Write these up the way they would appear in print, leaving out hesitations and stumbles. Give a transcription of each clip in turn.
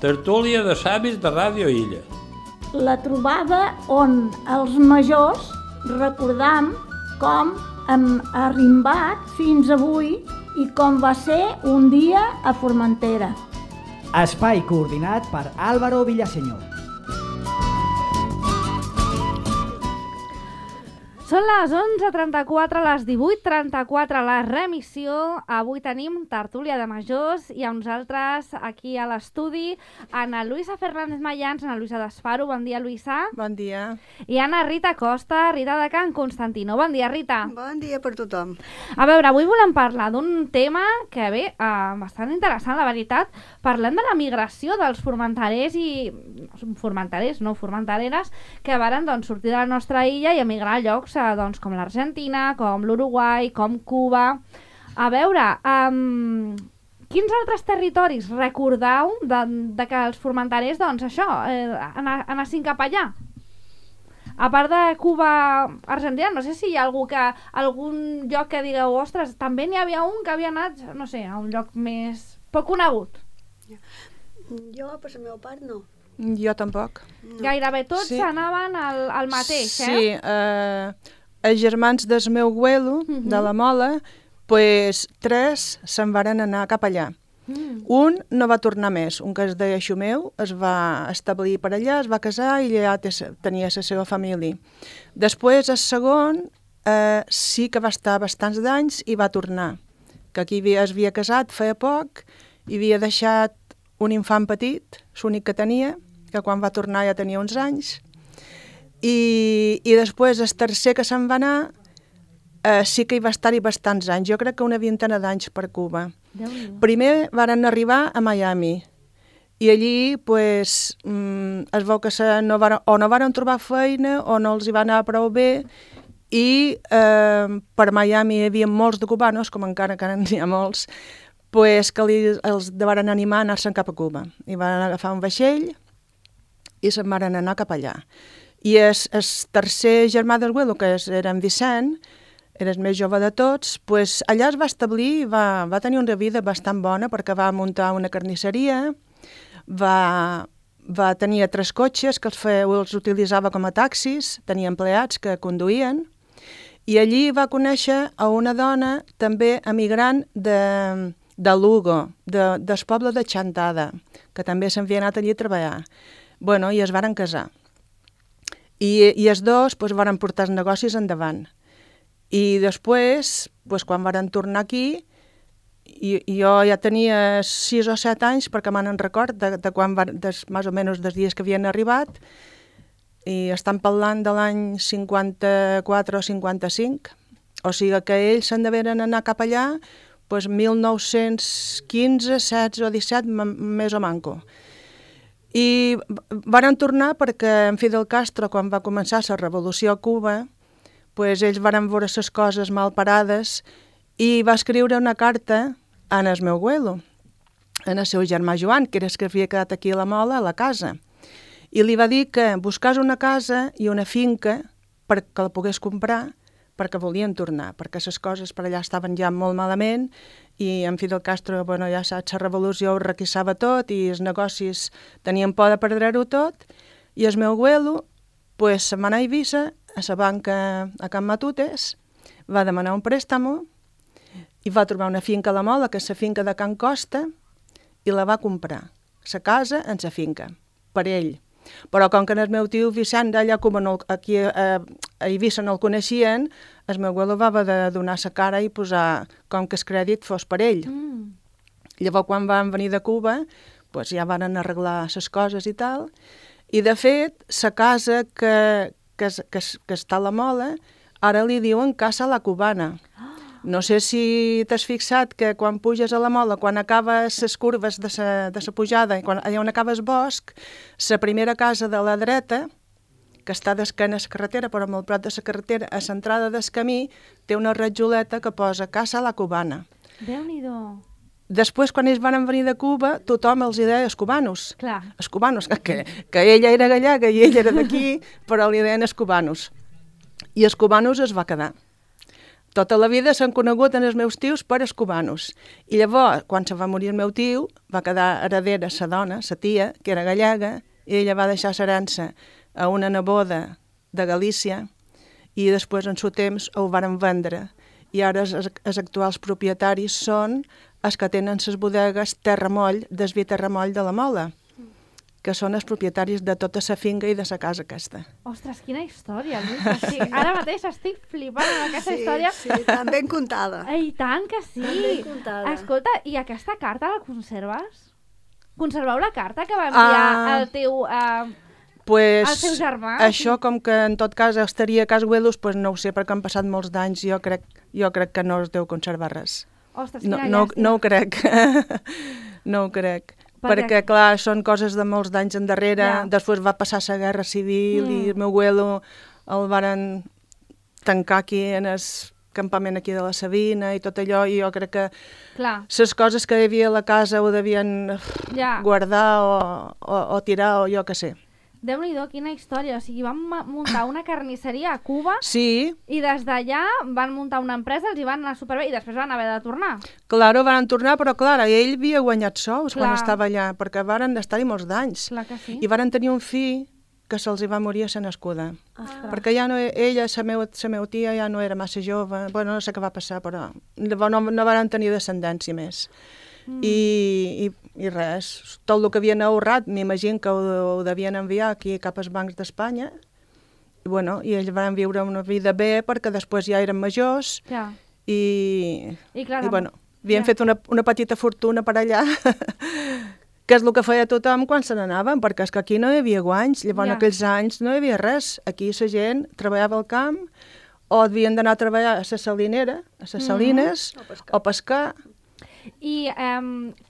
Tertúlia de savis de Ràdio Illa. La trobada on els majors recordam com hem arrimbat fins avui i com va ser un dia a Formentera. Espai coordinat per Álvaro Villaseñor. Són les 11:34, les 18:34, la remissió. Avui tenim tertúlia de majors i amb nosaltres aquí a l'estudi Ana Luisa Fernández Mayans, Ana Luisa d'Esfaro. Bon dia, Luisa. Bon dia. I Ana Rita Costa, Rita de Can Constantino. Bon dia, Rita. Bon dia per tothom. A veure, avui volem parlar d'un tema que ve bastant interessant, la veritat. Parlem de la migració dels formenterers i... formentereres, que varen sortir de la nostra illa i emigrar a llocs com l'Argentina, com l'Uruguai, com Cuba. A veure, quins altres territoris recordeu de que els formenterers, anessin cap allà? A part de Cuba, Argentina, no sé si hi ha algun lloc que digueu, ostres, també n'hi havia un que havia anat, no sé, a un lloc més poc conegut. Jo, per la meva part, no. Jo tampoc. No. Gairebé tots anaven al mateix, Sí, els germans del meu abuelo, de la Mola, pues, 3 se'n varen anar cap allà. Un no va tornar més, un que es deia Xumeu, es va establir per allà, es va casar i allà tenia la seva família. Després, el segon, sí que va estar bastants d'anys i va tornar, que aquí es havia casat feia poc i havia deixat un infant petit, l'únic que tenia, que quan va tornar ja tenia uns anys, i després el tercer que se'n va anar sí que hi va estar-hi bastants anys, jo crec que una vintena d'anys per Cuba. Primer varen arribar a Miami i allí pues, es veu que no varen trobar feina o no els hi va anar prou bé i per Miami hi havia molts de cubanos, com encara n'hi ha molts, pues, que els varen animar a anar-se'n cap a Cuba. I van agafar un vaixell i se'n van anar cap allà. I el tercer germà del abuelo, que era en Vicent, era el més jove de tots, pues, allà es va establir i va tenir una vida bastant bona perquè va muntar una carnisseria, va tenir 3 cotxes que els utilitzava com a taxis, tenia empleats que conduïen, i allí va conèixer a una dona també emigrant de Lugo, del poble de Chantada, que també s'havia anat allí a treballar. Bueno, i es varen casar. I els dos varen portar els negocis endavant. I després, quan varen tornar aquí, jo ja tenia 6 o 7 anys, perquè me'n record de quan més o menys dels dies que havien arribat, i estan parlant de l'any 54 o 55, o sigui que ells se'n deveren anar cap allà 1915, 16 o 17, més o manco. I varen tornar perquè en Fidel Castro, quan va començar la revolució a Cuba, ells varen veure les coses mal parades i va escriure una carta en el meu abuelo, en el seu germà Joan, que era el que havia quedat aquí a la Mola, a la casa. I li va dir que buscés una casa i una finca perquè la pogués comprar, perquè volien tornar, perquè les coses per allà estaven ja molt malament i en Fidel Castro, ja saps, la revolució ho requissava tot i els negocis tenien por de perdre-ho tot, i el meu abuelo se'n va anar a Eivissa, a la banca a Can Matutes, va demanar un préstamo i va trobar una finca a la Mola, que és la finca de Can Costa, i la va comprar, la casa en la finca, per ell. Però com que el meu tio Vicent d'allà aquí a Eivissa no el coneixien, el meu abuelo va haver de donar la cara i posar com que el crèdit fos per ell. Llavors, quan van venir de Cuba, ja van arreglar les coses i tal, i de fet, la casa que està a la Mola, ara li diuen Casa la Cubana. No sé si t'has fixat que quan puges a la Mola, quan acabes les curves de la pujada, allà on acaba el bosc, la primera casa de la dreta, que està d'esquena a la carretera, però molt prop de la carretera, a l'entrada del camí, té una ratjoleta que posa Casa la Cubana. Déu-n'hi-do. Després, quan ells van venir de Cuba, tothom els deia els cubanos. Clar. Els cubanos, que ella era gallega i ell era d'aquí, però li deien els cubanos. I els cubanos es va quedar. tota la vida s'han conegut en els meus tios per els cubanos. I llavors, quan se va morir el meu tio, va quedar heredera sa dona, sa tia, que era gallega, i ella va deixar l'herència a una neboda de Galícia i després, en su temps, ho varen vendre. I ara els actuals propietaris són els que tenen les bodegues Terramoll, del vi Terramoll de la Mola, que són els propietaris de tota la finca i de la casa aquesta. Ostres, quina història, Lluís. Ara mateix estic flipant amb aquesta història. Sí, tan ben contada. I tant que sí. Tan ben contada. Escolta, i aquesta carta la conserves? Conserveu la carta que va enviar el teu... Pues, el seu germà? Això, com que en tot cas estaria a Cas Güelos, pues no ho sé, perquè han passat molts d'anys, jo crec que no es deu conservar res. Ostres, No, quina no, llàstima. no ho crec. No ho crec. Perquè, clar, són coses de molts d'anys endarrere. Ja. Després va passar la Guerra Civil i el meu abuelo el varen tancar aquí en el campament aquí de la Sabina i tot allò, i jo crec que Clar. les coses que hi havia a la casa ho devien Ja. guardar o tirar o jo què sé. Déu-n'hi-do, quina història. O sigui, van muntar una carnisseria a Cuba Sí, i des d'allà van muntar una empresa, els hi van anar superbé i després van haver de tornar. claro, van tornar, però clar, ell havia guanyat sous quan Clar. estava allà, perquè varen estar-hi molts d'anys. Clar que sí. I varen tenir un fill que se'ls hi va morir a ser nascuda. Perquè ja no, ella, la meva tia, ja no era massa jove, bueno, no sé què va passar, però no varen tenir descendència més. I res, tot el que havien ahorrat, m'imagino que ho devien enviar aquí cap als bancs d'Espanya, i, bueno, i ells van viure una vida bé perquè després ja eren majors Ja. i clar, bueno, havien ja. fet una petita fortuna per allà, que és el que feia tothom quan se n'anaven, perquè és que aquí no hi havia guanys, llavors en aquells anys no hi havia res, aquí la gent treballava al camp o havien d'anar a treballar a la salinera, a les salines, o pescar. I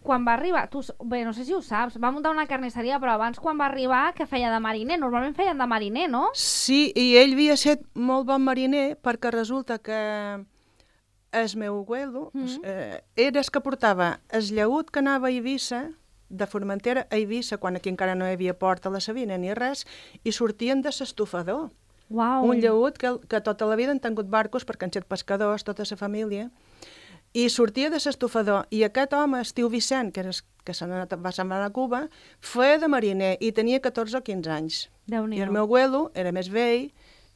quan va arribar, bé, no sé si ho saps, va muntar una carnisseria, però abans quan va arribar, que feia de mariner? Normalment feien de mariner, no? Sí, i ell havia estat molt bon mariner perquè resulta que el meu abuelo era el que portava el llaüt que anava a Eivissa, de Formentera a Eivissa, quan aquí encara no hi havia port a la Sabina ni res, i sortien de l'estofador. Uau. Un llaüt que tota la vida han tingut barcos perquè han estat pescadors, tota la família, i sortia de l'estofador. I aquest home, el tio Vicent, que se'n va anar a Cuba, feia de mariner i tenia 14 o 15 anys. Déu-n'hi-do. I el meu abuelo era més vell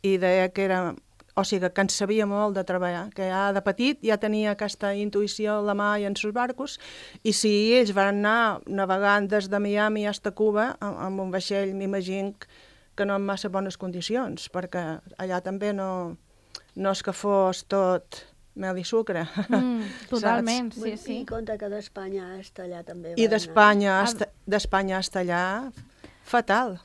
i deia que era... O sigui, que en sabia molt de treballar, que ja de petit ja tenia aquesta intuïció a la mà i en els barcos, i si ells van anar navegant des de Miami fins a Cuba amb un vaixell, m'imagino que no en massa bones condicions, perquè allà també no és que fos tot mel i sucre. Totalment, sí, I sí. compte que d'Espanya hasta allà també I va anar. d'Espanya fins allà, fatal.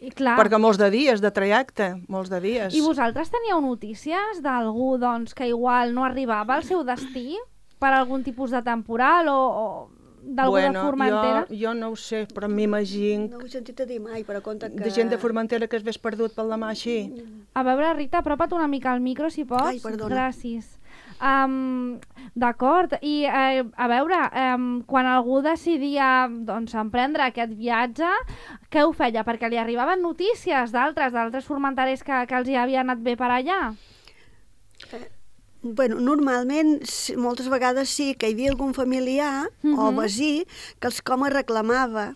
I clar, Perquè molts de dies de trajecte, molts de dies. i vosaltres teníeu notícies d'algú doncs, que igual no arribava al seu destí per algun tipus de temporal o d'algú de Formentera? Jo no ho sé, però m'imagino No ho he sentit a dir mai, però compte que... de gent de Formentera que es ves perdut pel demà així. A veure, Rita, apropa't una mica al micro, si pots. Ai, perdona. Gràcies. D'acord, i a veure, quan algú decidia doncs, emprendre aquest viatge, què ho feia? Perquè li arribaven notícies d'altres formenterers que els hi havia anat bé per allà? Bueno, normalment, moltes vegades sí que hi havia algun familiar o vecí que els com reclamava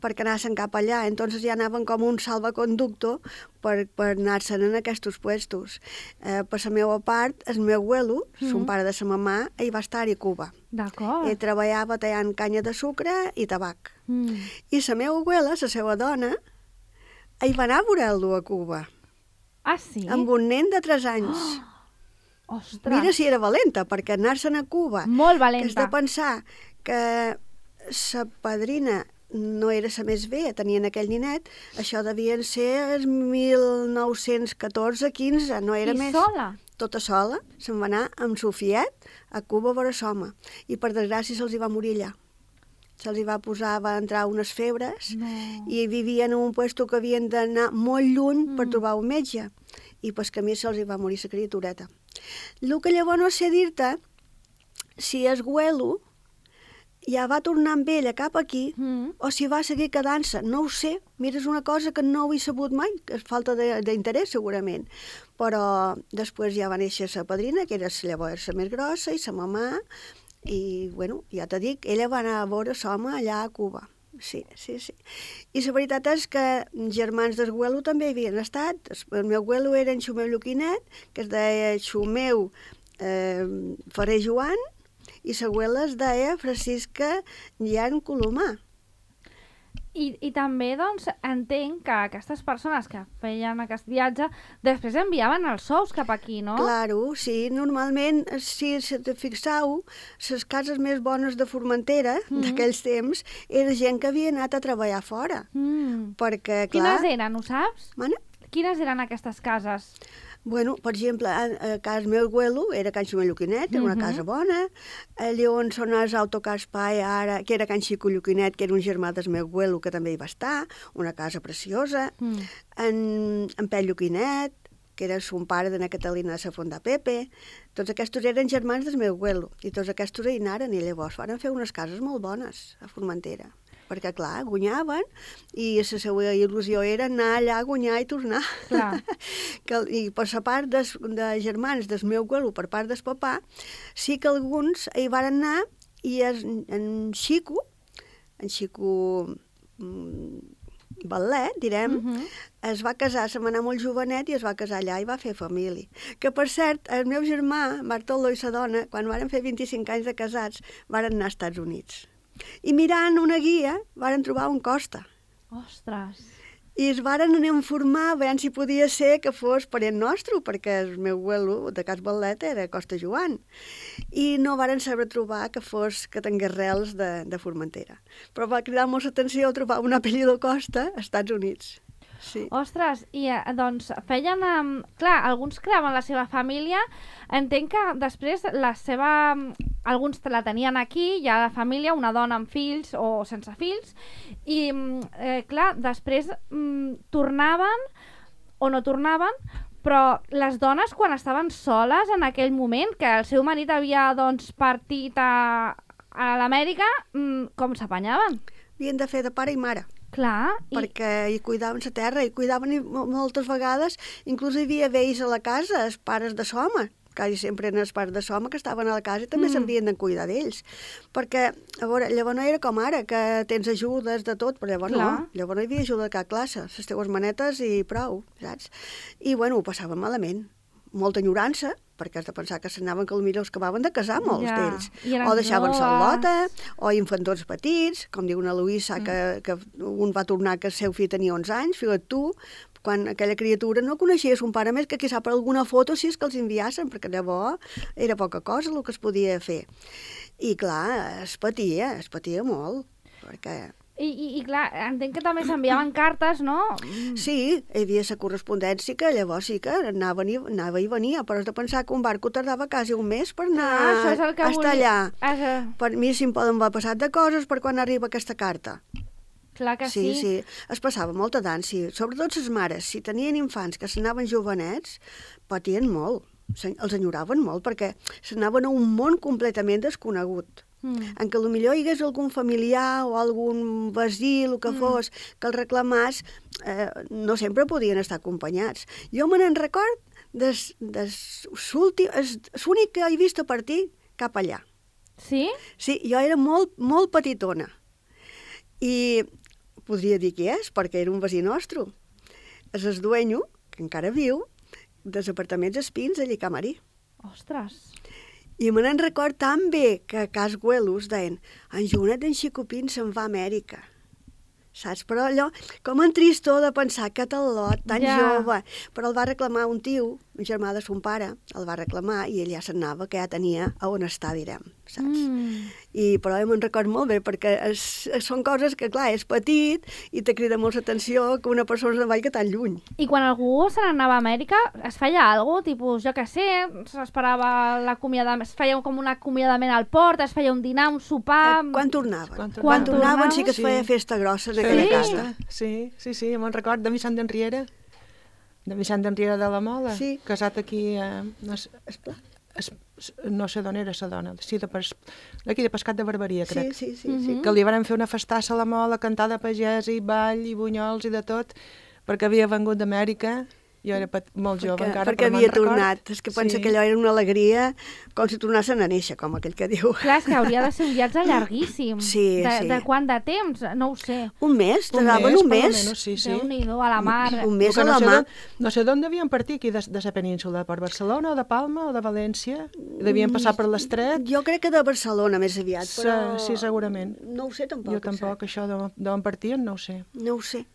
perquè anaven cap allà. Entonces ja anaven com un salvaconducto per anar-se'n en aquests puestos. Per la meva part, el meu abuelo, son pare de sa mamà, ell va estar-hi a Cuba. D'acord. Ell treballava tallant canya de sucre i tabac. I la meva abuela, la seva dona, ell va anar a veure-lo a Cuba, Ah, sí? amb un nen de 3 anys. Ostres, Mira si era valenta, perquè anar-se'n a Cuba... molt Que has valenta. de pensar que sa padrina no era la més bé, tenien aquell ninet, això devien ser els 1914-15, no era I més. sola? Tota sola, se'n va anar amb Sofiet a Cuba a veure l'home, i per desgràcia se'ls hi va morir allà. Se'ls hi va entrar unes febres, i vivien en un puesto que havien d'anar molt lluny per trobar un metge, i pel camí se'ls hi va morir la criatureta. El que llavors no sé dir-te si el Güelo ja va tornar amb ella cap aquí, o si va seguir quedant-se, no ho sé. Mira, és una cosa que no ho he sabut mai, que és falta d'interès segurament. Però després ja va néixer sa padrina, que era llavors la més grossa, i sa mamà, i, bueno, ja t'he dit, ella va anar a veure l'home allà a Cuba. Sí. I la veritat és que germans d'Esguelo també hi havien estat. El meu abuelo era en Xumeu Lluquinet, que es deia Xumeu Ferrer Joan, i l'abuela es deia Francisca Llan Colomà. I també, doncs, entenc que aquestes persones que feien aquest viatge després enviaven els sous cap aquí, no? Claro, sí. Normalment, si te fixeu, les cases més bones de Formentera d'aquells temps era gent que havia anat a treballar fora. Perquè, clar... Quines eren, ho saps? Mana? Quines eren aquestes cases? Bueno, per exemple, a casa meu abuelo era Can Xumeu Lluquinet, era una casa bona. Allà on són els Autocars Pai, ara, que era Can Xico Lluquinet, que era un germà del meu abuelo, que també hi va estar, una casa preciosa. En Pell Lluquinet, que era son pare d'Anna Catalina de la Fonda Pepe. Tots aquests eren germans del meu abuelo, i tots aquests hi anaren, i llavors van fer unes cases molt bones a Formentera. Perquè, clar, guanyaven i la seva il·lusió era anar allà a guanyar i tornar. Clar. I per la part de germans del meu abuelo, per part del papà, sí que alguns hi van anar i en Xico Ballet, direm, es va casar, se m'anà molt jovenet i es va casar allà i va fer família. Que, per cert, el meu germà, Bartolo i sa dona, quan varen fer 25 anys de casats, varen anar als Estats Units. I mirant una guia, varen trobar un Costa. Ostres! I es varen anar a informar a veure si podia ser que fos parent nostre, perquè el meu abuelo de Cas Ballet era Costa Joan. I no varen saber trobar que tingués rels de Formentera. Però va cridar molt l'atenció trobar un apellido Costa als Estats Units. Sí. Ostres, i doncs feien... clar, alguns creaven la seva família. Entenc que després alguns la tenien aquí, ja la família, una dona amb fills o sense fills, i clar, després tornaven o no tornaven, però les dones quan estaven soles en aquell moment, que el seu marit havia doncs partit a l'Amèrica, com s'apanyaven? Havien de fer de pare i mare. Clar. Perquè hi cuidaven la terra, i cuidaven moltes vegades, inclús hi havia vells a la casa, els pares de l'home, quasi sempre eren els pares de l'home que estaven a la casa i també s'havien de cuidar d'ells. Perquè, a veure, llavors no era com ara, que tens ajudes de tot, però llavors no. Llavors no hi havia ajuda de cap classe, les teues manetes i prou, saps? I, bueno, ho passaven malament. Molta enyorança, perquè has de pensar que s'anaven, que potser es acabaven de casar molts d'ells. O deixaven-se a lota, o infantons petits, com diu una Luisa, que un va tornar que el seu fill tenia 11 anys, fixa't tu, quan aquella criatura no coneixia son pare més que qui sap alguna foto si és que els enviassen, perquè llavors era poca cosa el que es podia fer. I clar, es patia molt, perquè... I clar, entenc que també s'enviaven cartes, no? Sí, hi havia la correspondència que llavors sí que anava i venia, però has de pensar que un barco tardava quasi un mes per anar estar allà. Per mi si em poden haver passat de coses per quan arriba aquesta carta. Clar que sí. Sí, es passava molta d'ànsia. Sobretot les mares, si tenien infants que s'anaven jovenets, patien molt, els enyoraven molt, perquè s'anaven a un món completament desconegut. En què potser hi hagués algun familiar o algun veí, el que fos, que el reclamàs, no sempre podien estar acompanyats. Jo me n'en record l'únic que he vist a partir cap allà. Sí? Sí, jo era molt, molt petitona. I podria dir qui és, perquè era un veí nostre. És el dueño, que encara viu, dels apartaments Espins, allà a Camarí. Ostres! I me n'en record tan bé que a Cas Güelos deien en Joanet d'en Xicopín se'n va a Amèrica. Saps? Però allò, com en tristor de pensar que tal lot, tan jove. Però el va reclamar un tio, un germà de son pare, el va reclamar i ell ja se'n anava, que ja tenia a on estar, direm, saps? Però me'n record molt bé, perquè són coses que, clar, és petit i te crida molt l'atenció que una persona se'n vagi tan lluny. I quan algú se n'anava a Amèrica, es feia alguna cosa? Tipus, jo què sé, s'esperava l'acomiadament, es feia com un acomiadament al port, es feia un dinar, un sopar... Quan tornaven? Quan tornaven sí que es feia festa grossa en aquella casa. Sí, me'n record de Vicent d'Enriera. De Vicent d'Enriera de la Mola, casat aquí a no sé d'on era la dona, sí, d'aquí de Pescat de Barberia, crec. Sí. Que li van fer una festassa a la Mola, cantar de pagès i ball i bunyols i de tot, perquè havia vengut d'Amèrica. Jo era molt jove encara, perquè però havia record. tornat. És que pensa que allò era una alegria com si tornassen a néixer, com aquell que diu. Clar, és que hauria de ser un viatge llarguíssim. Sí. De quant de temps? No ho sé. Un mes? Tardaven un mes? Sí. Déu-n'hi-do, a la mar. Un mes a la mar. No sé d'on devien partir aquí, de la península, per Barcelona o de Palma o de València? Devien passar per l'Estret? Jo crec que de Barcelona més aviat, però... Sí, segurament. No ho sé tampoc. Jo tampoc, això d'on partien, no ho sé. No ho sé.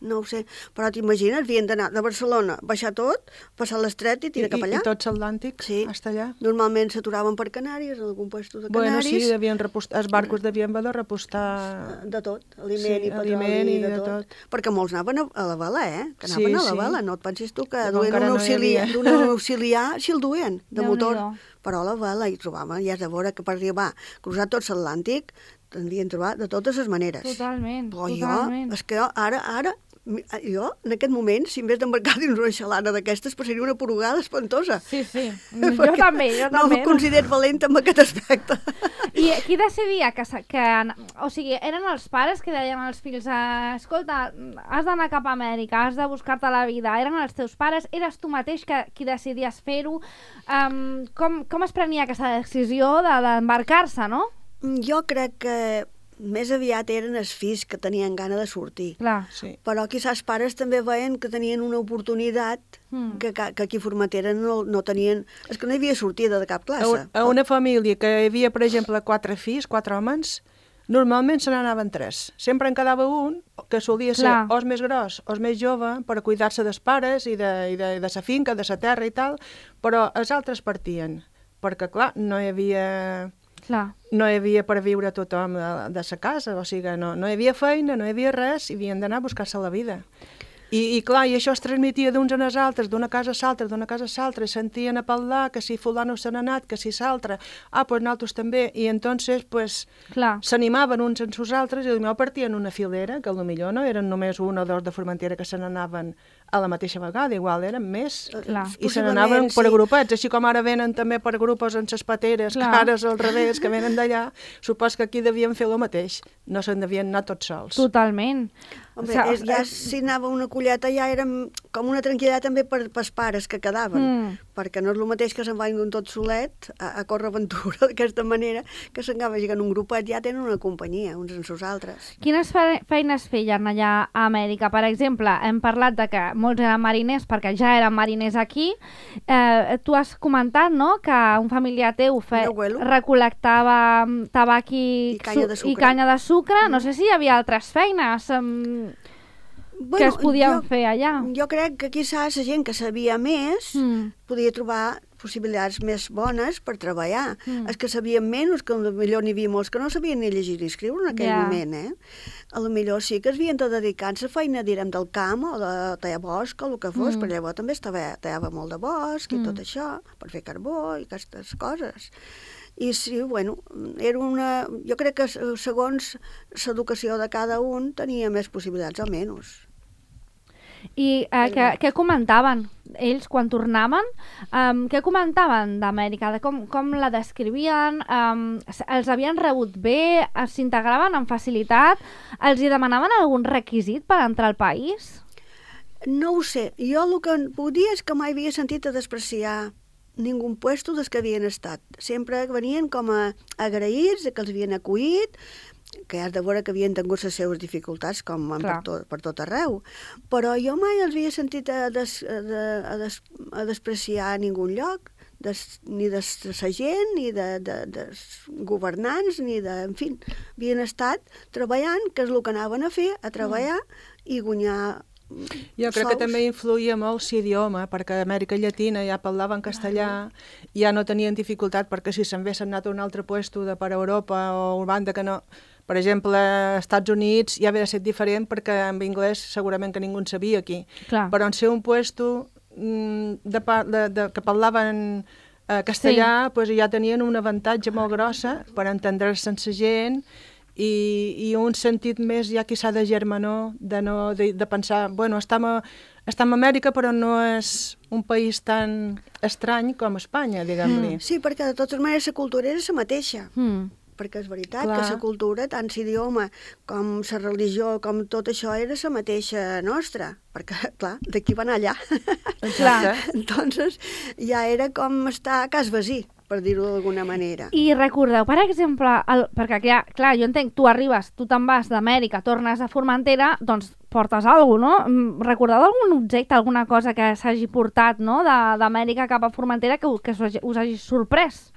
Però t'imagines, havien d'anar de Barcelona, baixar tot, passar l'Estret i tirar cap allà. I tot l'Atlàntic, hasta allà. Normalment s'aturaven per Canàries, en algun puesto de Canàries. Bueno, sí, devien repostar, els barcos devien haver de repostar... De tot, aliment i petroli, de tot. Perquè molts anaven a la vela, que anaven a la vela. No et pensis tu que duen un auxiliar si el duen, de motor. Però a la vela hi trobaven, ja és de veure que per arribar, cruzar tot l'Atlàntic, t'havien trobat de totes les maneres. Totalment. És que ara, jo, en aquest moment, si em vés d'embarcar dins una xalana d'aquestes, passaria una porugada espantosa. Sí. Jo també. No em considero valenta en aquest aspecte. I qui decidia que... O sigui, eren els pares que deien als fills escolta, has d'anar cap a Amèrica, has de buscar-te la vida. Eren els teus pares? Eres tu mateix qui decidies fer-ho? Com es prenia aquesta decisió d'embarcar-se, no? Jo crec que més aviat eren els fills que tenien gana de sortir. Clar. Sí. Però quizás els pares també veien que tenien una oportunitat que aquí a Formentera no tenien... És que no hi havia sortida de cap classe. A una família que hi havia, per exemple, 4 fills, 4 homes, normalment se n'anaven 3. Sempre en quedava un, que solia ser o el més gros o el més jove, per a cuidar-se dels pares i de la finca, de la terra i tal, però els altres partien, perquè, clar, no hi havia per viure tothom de sa casa, o sigui, no hi havia feina, no hi havia res, i havien d'anar a buscar-se la vida. I clar, i això es transmetia d'uns en els altres, d'una casa a l'altra, d'una casa a l'altra, i sentien a parlar que si fulano se n'ha anat, que si s'altre, pues nosaltres també, i entonces pues s'animaven uns en sus altres, i potser partien una filera, que potser no eren només 1 o 2 de Formentera que se n'anaven a la mateixa vegada, igual eren més, i se n'anaven per agrupats, així com ara venen també per grupos en ses pateres, que ara és al revés, que venen d'allà, supos que aquí devien fer el mateix, no se'n devien anar tots sols. Totalment. Home, ja si anava una colleta ja era com una tranquil·litat també pels pares que quedaven, perquè no és el mateix que se'n vagin tot solet a córrer aventura d'aquesta manera, que se'n vagin un grupet, ja tenen una companyia, uns en sus altres. Quines feines feien allà a Amèrica? Per exemple, hem parlat de que molts eren mariners, perquè ja eren mariners aquí. Tu has comentat, no?, que un familiar teu recol·lectava tabac i canya de sucre. No sé si hi havia altres feines que es podien fer allà. Jo crec que quizás la gent que sabia més podia trobar possibilitats més bones per treballar. Els que sabien menys, que potser n'hi havia molts que no sabien ni llegir ni escriure en aquell moment, a lo millor sí que es havien de dedicar-se a feina, direm, del camp o de tallar bosc o el que fos, però llavors també tallava molt de bosc i tot això, per fer carbó i aquestes coses. I sí, bueno, jo crec que segons l'educació de cada un tenia més possibilitats o menys. I què comentaven ells quan tornaven? Què comentaven d'Amèrica? Com la descrivien? Els havien rebut bé? S'integraven amb facilitat? Els hi demanaven algun requisit per entrar al país? No ho sé. Jo el que puc dir és que mai havia sentit a despreciar ningú puesto des que havien estat. Sempre venien com a agraïts que els havien acollit, que has de veure que havien tingut les seves dificultats com per tot arreu, però jo mai els havia sentit a despreciar a ningú lloc, ni de la gent, ni dels governants, ni de... En fi, havien estat treballant, que és el que anaven a fer, a treballar i guanyar Jo crec que també influïa molt l'idioma, perquè a Amèrica Llatina ja parlaven castellà, ja no tenien dificultat, perquè si se'n haguessin anat a un altre puesto de per Europa o banda que no... Per exemple, als Estats Units ja havia de ser diferent, perquè en anglès segurament que ningú en sabia aquí. Però en ser un puesto que parlaven castellà, ja tenien un avantatge molt grossa per entendre's sense gent i un sentit més ja que s'ha de germanor, de pensar, bueno, estem a Amèrica però no és un país tan estrany com Espanya, diguem-li. Sí, perquè de totes maneres la cultura és la mateixa. Perquè és veritat que la cultura, tant l'idioma com la religió, com tot això, era la mateixa nostra. Perquè, clar, d'aquí van allà. Exacte. Entonces, ja era com estar a cas vecí, per dir-ho d'alguna manera. I recordeu, per exemple, perquè clar, jo entenc, tu arribes, tu te'n vas d'Amèrica, tornes a Formentera, doncs portes alguna cosa, no? Recordeu algun objecte, alguna cosa que s'hagi portat, no?, d'Amèrica cap a Formentera que us hagi sorprès?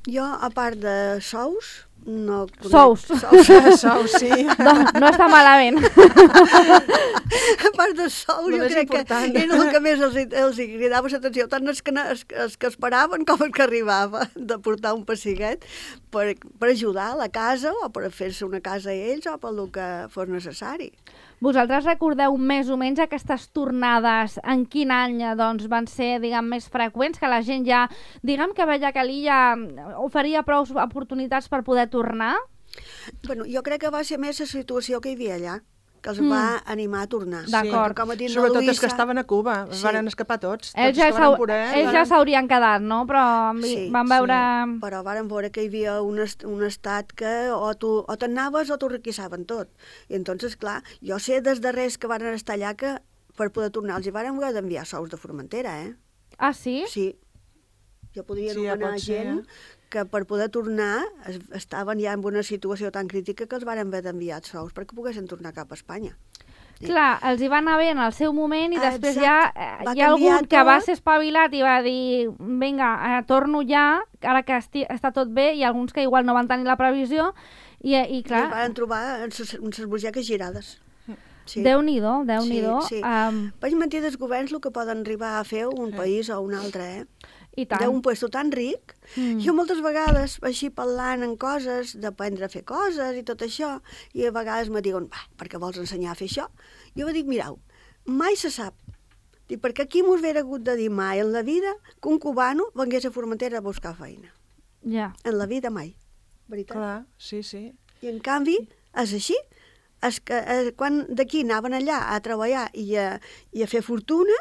Jo, a part de sous, no... Sous, sí. No està malament. A part de sous, jo crec que era el que més els cridava l'atenció, tant els que esperaven com els que arribava, de portar un pessiguet per ajudar a la casa o per fer-se una casa a ells o per el que fos necessari. Vosaltres recordeu més o menys aquestes tornades, en quin any doncs, van ser, diguem, més freqüents, que la gent ja, diguem que veia que l'illa oferia prou oportunitats per poder tornar? Bueno, jo crec que va ser més la situació que hi havia allà, que els va animar a tornar. D'acord. Sí, sobretot els que estaven a Cuba, van escapar tots. Ells ja s'haurien quedat, no? Però van veure... Sí, però varen veure que hi havia un estat que o te'n anaves o t'ho requisaven tot. I entonces, clar, jo sé des de res que van estar allà que per poder tornar els hi varen haver d'enviar sous de Formentera, eh? Ah, sí? Sí. Jo podia anomenar gent que per poder tornar estaven ja en una situació tan crítica que els varen haver d'enviar sous perquè poguessin tornar cap a Espanya. Clar, els hi va anar bé en el seu moment i després ja hi ha algun que va ser espavilat i va dir vinga, torno ja, ara que està tot bé, i alguns que igual no van tenir la previsió i clar... I van trobar unes butxaques girades. Sí. Déu-n'hi-do, Déu-n'hi-do. Sí. Vaig mentir dels governs el que poden arribar a fer un país o un altre, I tant. D'un puesto tan ric. Jo moltes vegades, així parlant en coses, d'aprendre a fer coses i tot això, i a vegades me diuen, per què vols ensenyar a fer això? Jo dic, mireu, mai se sap. Dic, perquè aquí m'ho hauria hagut de dir mai en la vida que un cubano vengués a Formentera a buscar feina. Ja. En la vida mai. Veritat? Clar, sí, sí. I en canvi, és així. Quan d'aquí anaven allà a treballar i a fer fortuna,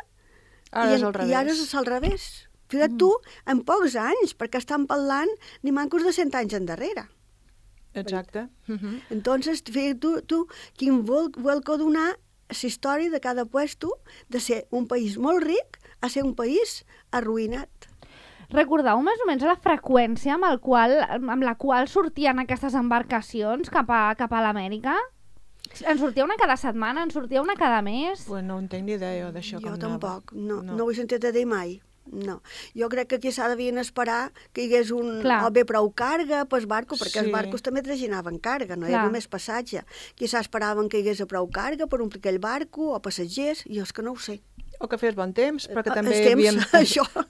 ara és al revés. I ara és al revés. Fixa't tu, en pocs anys, perquè estan parlant ni mancos de 100 anys endarrere. Exacte. Entonces, fixa't tu quin vol que donar la història de cada puesto de ser un país molt ric a ser un país arruïnat. Recordeu més o menys la freqüència amb la qual sortien aquestes embarcacions cap a l'Amèrica? En sortia una cada setmana? En sortia una cada mes? Pues no en tinc ni idea d'això com anava. Jo tampoc, no ho he sentit a dir mai. No. Jo crec que aquí s'ha devien esperar que hi hagués o bé prou carga pel barco, perquè els barcos també traginaven carga, no era només passatge. Quizà esperaven que hi hagués prou carga per omplir aquell barco o passatgers, jo és que no ho sé. O que fes bon temps, perquè també havíem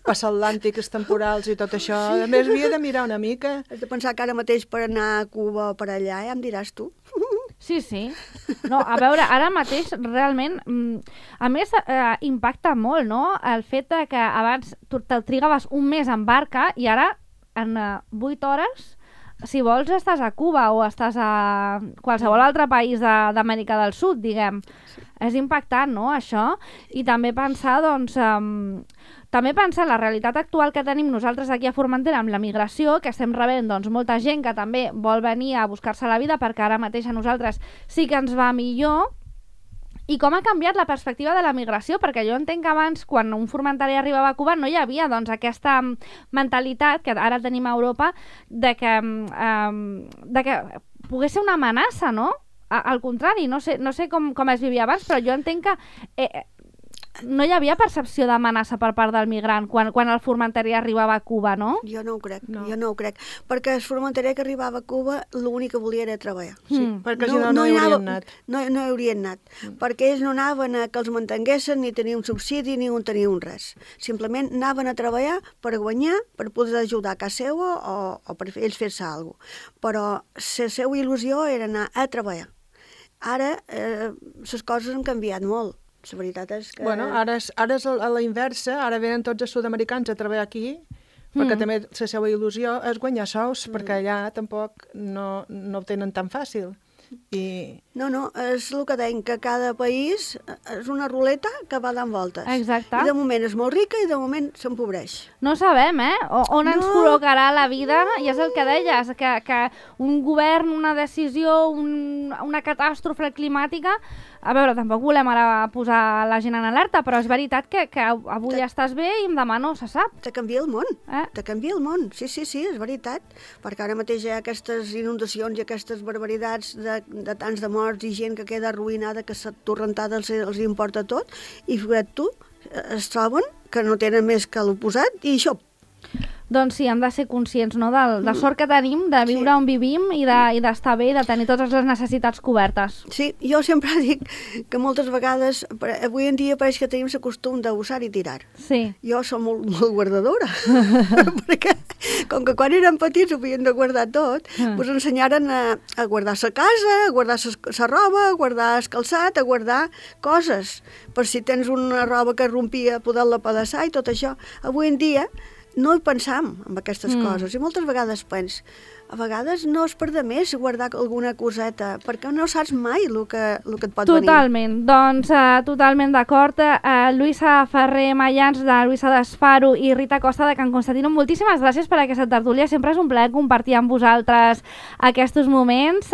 passat l'Atlàntic, els temporals i tot això. A més, havia de mirar una mica. Has de pensar que ara mateix per anar a Cuba o per allà, ja em diràs tu. Sí. No, a veure, ara mateix realment, a més, impacta molt, no?, el fet que abans te'l trigaves un mes en barca i ara en 8 hores, si vols, estàs a Cuba o estàs a qualsevol altre país d'Amèrica del Sud, diguem. És impactant, no?, això. I també pensar, doncs... També pensar la realitat actual que tenim nosaltres aquí a Formentera amb la migració, que estem rebent doncs, molta gent que també vol venir a buscar-se la vida perquè ara mateix a nosaltres sí que ens va millor, i com ha canviat la perspectiva de la migració, perquè jo entenc que abans, quan un formentari arribava a Cuba, no hi havia doncs, aquesta mentalitat que ara tenim a Europa de que pogués ser una amenaça, no? Al contrari, no sé com es vivia abans, però jo entenc que... no hi havia percepció d'amenaça per part del migrant quan el formenterí arribava a Cuba, no? Jo no ho crec, perquè el formenterí que arribava a Cuba l'únic que volia era treballar. Sí, perquè si no hi haurien anat. No hi haurien anat, perquè ells no anaven a que els mantenguessin, ni tenir un subsidi, ni tenir un res. Simplement anaven a treballar per guanyar, per poder ajudar a casa seva o per ells fer-se alguna cosa. Però la seva il·lusió era anar a treballar. Ara les coses han canviat molt. La veritat és que... Bueno, ara és a la inversa, ara venen tots els sud-americans a treballar aquí perquè també la seva il·lusió és guanyar sous, perquè allà tampoc no ho tenen tan fàcil. No, és el que deim, que cada país és una ruleta que va dant voltes. Exacte. I de moment és molt rica i de moment s'empobreix. No sabem, on ens col·locarà la vida, i és el que deies, que un govern, una decisió, una catàstrofe climàtica. A veure, tampoc volem ara posar la gent en alerta, però és veritat que avui estàs bé i demà no se sap. Te canvia el món, te canvia el món, sí, és veritat, perquè ara mateix hi ha aquestes inundacions i aquestes barbaritats de tants de morts i gent que queda arruïnada, que s'atorrentada els importa tot, i fíjate tu, es troben que no tenen més que l'oposat i això. Doncs sí, hem de ser conscients, no?, de sort que tenim, de viure on vivim i d'estar bé i de tenir totes les necessitats cobertes. Sí, jo sempre dic que moltes vegades, avui en dia pareix que tenim el costum d'usar i tirar. Sí. Jo som molt guardadora, perquè com que quan érem petits ho havien de guardar tot, ens ensenyaren a guardar la casa, a guardar la roba, a guardar el calçat, a guardar coses, per si tens una roba que rompia, poder-la pedaçar i tot això. Avui en dia no hi pensam en aquestes coses i moltes vegades pens, a vegades no és per de més guardar alguna coseta, perquè no saps mai el que et pot venir. Totalment, doncs totalment d'acord. Lluïsa Ferrer Mayans, de Lluïsa d'Esfaro, i Rita Costa, de Can Constantino, moltíssimes gràcies per aquesta tertúlia. Sempre és un plaer compartir amb vosaltres aquests moments.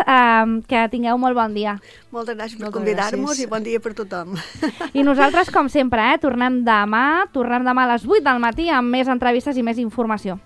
Que tingueu molt bon dia. Moltes gràcies per convidar-nos i bon dia per tothom. I nosaltres, com sempre, tornem demà a les 8 del matí amb més entrevistes i més informació.